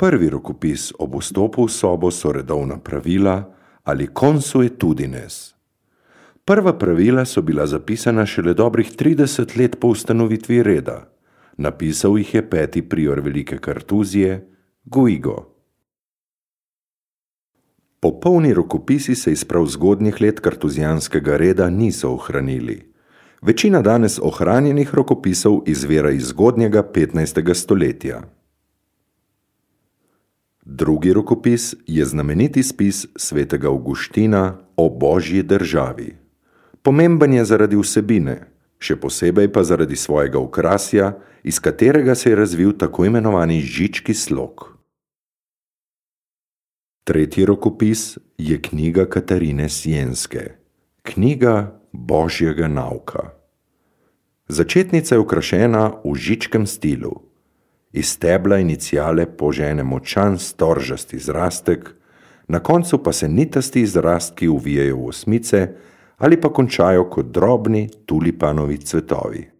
Prvi rokopis ob vstopu v sobo so redovna pravila ali consuetudines. Prva pravila so bila zapisana šele dobrih 30 let po ustanovitvi reda. Napisal jih je 5. prior Velike Kartuzije, Guigo. Popolni rokopisi se iz prav zgodnjih let kartuzijanskega reda niso ohranili. Večina danes ohranjenih rokopisov izvira iz zgodnjega 15. stoletja. Drugi rokopis je znameniti spis svetega Avguština o Božji državi. Pomemben je zaradi vsebine, še posebej pa zaradi svojega okrasja, iz katerega se je razvil tako imenovani žički slog. Tretji rokopis je knjiga Katarine Sienske, knjiga Božjega nauka. Začetnica je okrašena v žičkem stilu. Iz stebla iniciale požene močan storžasti zrastek, na koncu pa se nitasti zrastki uvijajo v osmice ali pa končajo kot drobni tulipanovi cvetovi.